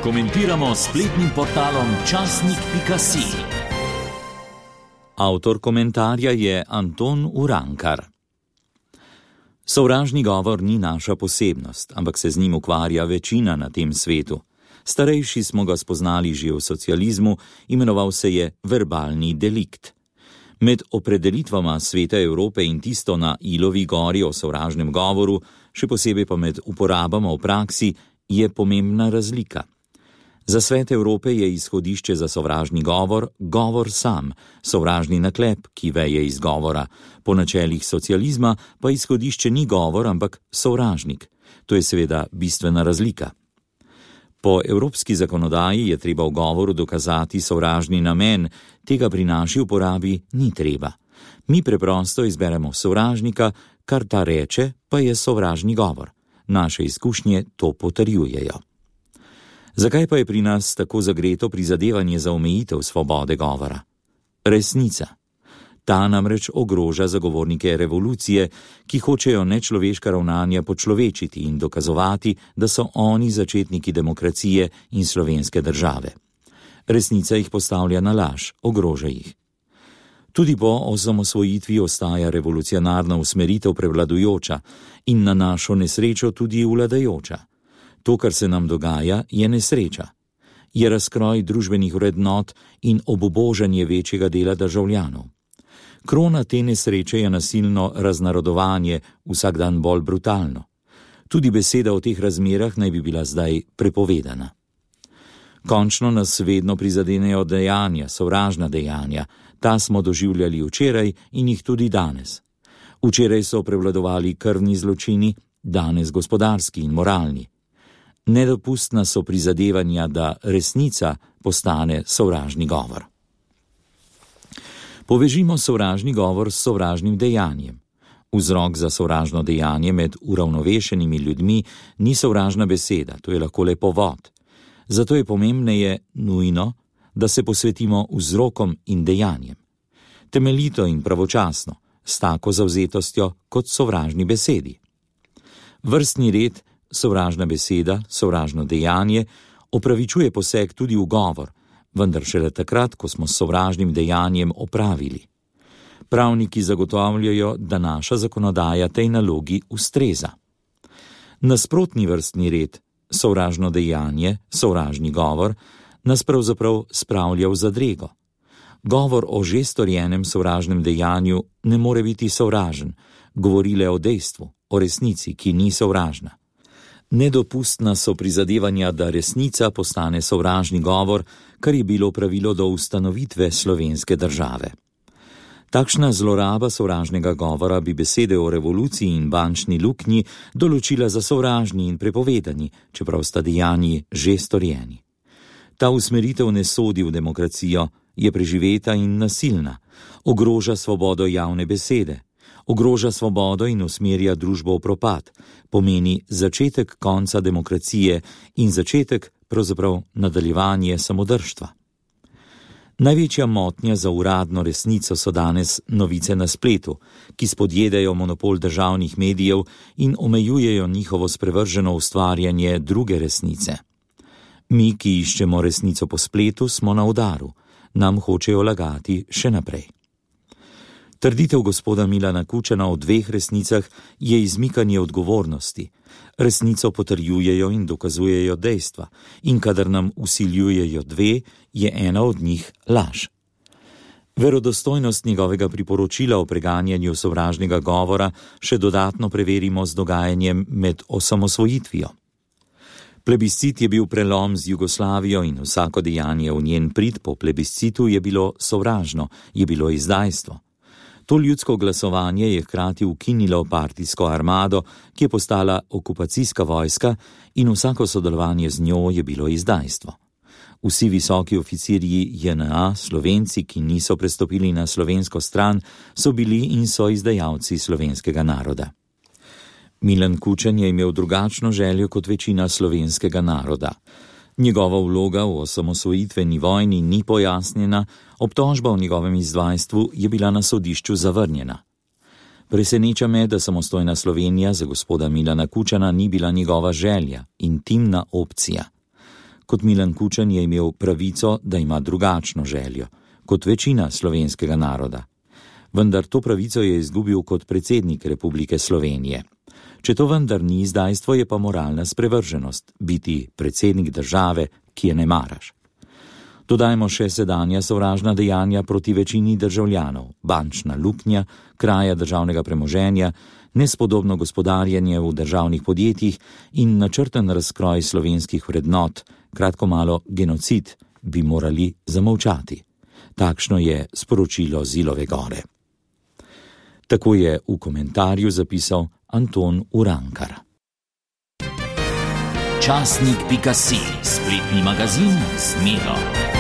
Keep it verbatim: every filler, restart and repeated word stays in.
Komentiramo s spletnim portalom časnik pika si. Avtor komentarja je Anton Urankar. Sovražni govor ni naša posebnost, ampak se z njim ukvarja večina na tem svetu. Starejši smo ga spoznali že v socializmu, imenoval se je verbalni delikt. Med opredelitvama Sveta Evrope in tisto na Ilovi gori o sovražnem govoru, še posebej pa med uporabama v praksi, je pomembna razlika. Za Svet Evrope je izhodišče za sovražni govor govor sam, sovražni naklep, ki veje iz govora. Po načelih socializma pa izhodišče ni govor, ampak sovražnik. To je seveda bistvena razlika. Po evropski zakonodaji je treba v govoru dokazati sovražni namen, tega pri naši uporabi ni treba. Mi preprosto izberemo sovražnika, kar ta reče, pa je sovražni govor. Naše izkušnje to potrjujejo. Zakaj pa je pri nas tako zagreto prizadevanje za omejitev svobode govora? Resnica. Ta namreč ogroža zagovornike revolucije, ki hočejo nečloveška ravnanja počlovečiti in dokazovati, da so oni začetniki demokracije in slovenske države. Resnica jih postavlja na laž, ogroža jih. Tudi po osamosvojitvi ostaja revolucionarna usmeritev prevladujoča in na našo nesrečo tudi vladajoča. To, kar se nam dogaja, je nesreča. Je razkroj družbenih vrednot in obubožanje večjega dela državljanov. Krona te nesreče je nasilno raznarodovanje, vsak dan bolj brutalno. Tudi beseda o teh razmerah naj bi bila zdaj prepovedana. Končno nas vedno prizadenejo dejanja, sovražna dejanja. Ta smo doživljali včeraj in jih tudi danes. Včeraj so prevladovali krvni zločini, danes gospodarski in moralni. Nedopustna so prizadevanja, da resnica postane sovražni govor. Povežimo sovražni govor s sovražnim dejanjem. Vzrok za sovražno dejanje med uravnovešenimi ljudmi ni sovražna beseda, to je lahko le povod. Zato je pomembneje nujno, da se posvetimo vzrokom in dejanjem. Temeljito in pravočasno, s tako zavzetostjo kot sovražni besedi. Vrstni red, sovražna beseda, sovražno dejanje opravičuje poseg tudi v govor, vendar šele takrat, ko smo s sovražnim dejanjem opravili. Pravniki zagotavljajo, da naša zakonodaja tej nalogi ustreza. Nasprotni vrstni red, sovražno dejanje, sovražni govor, nas pravzaprav spravlja v zadrego. Govor o že storjenem sovražnem dejanju ne more biti sovražen, govori le o dejstvu, o resnici, ki ni sovražna. Nedopustna so prizadevanja, da resnica postane sovražni govor, kar je bilo pravilo do ustanovitve slovenske države. Takšna zloraba sovražnega govora bi besede o revoluciji in bančni luknji določila za sovražni in prepovedani, čeprav sta dejanji že storjeni. Ta usmeritev ne sodi v demokracijo, je preživeta in nasilna, ogroža svobodo javne besede, ogroža svobodo in usmerja družbo v propad, pomeni začetek konca demokracije in začetek, pravzaprav nadaljevanje samodržstva. Največja motnja za uradno resnico so danes novice na spletu, ki spodjedajo monopol državnih medijev in omejujejo njihovo sprevrženo ustvarjanje druge resnice. Mi, ki iščemo resnico po spletu, smo na udaru, nam hočejo lagati še naprej. Trditev gospoda Milana Kučana o dveh resnicah je izmikanje odgovornosti. Resnico potrjujejo in dokazujejo dejstva, in kadar nam vsiljujejo dve, je ena od njih laž. Verodostojnost njegovega priporočila o preganjanju sovražnega govora še dodatno preverimo z dogajanjem med osamosvojitvijo. Plebiscit je bil prelom z Jugoslavijo in vsako dejanje v njen prid po plebiscitu je bilo sovražno, je bilo izdajstvo. To ljudsko glasovanje je hkrati ukinilo partijsko armado, ki je postala okupacijska vojska, in vsako sodelovanje z njo je bilo izdajstvo. Vsi visoki oficirji J N A, Slovenci, ki niso prestopili na slovensko stran, so bili in so izdajalci slovenskega naroda. Milan Kučan je imel drugačno željo kot večina slovenskega naroda. Njegova vloga v osamosvojitveni vojni ni pojasnjena, obtožba o njegovem izdajstvu je bila na sodišču zavrnjena. Preseneča me, da samostojna Slovenija za gospoda Milana Kučana ni bila njegova želja, intimna opcija. Kot Milan Kučan je imel pravico, da ima drugačno željo, kot večina slovenskega naroda. Vendar to pravico je izgubil kot predsednik Republike Slovenije. Če to vendar ni izdajstvo, je pa moralna sprevrženost biti predsednik države, ki je ne maraš. Dodajmo še sedanja sovražna dejanja proti večini državljanov, bančna luknja, kraja državnega premoženja, nespodobno gospodarjenje v državnih podjetjih in načrten razkroj slovenskih vrednot, kratko malo genocid, bi morali zamolčati. Takšno je sporočilo Zilove gore. Tako je v komentarju zapisal Anton Urankar. Časnik pika si, spletni magazin z Miro.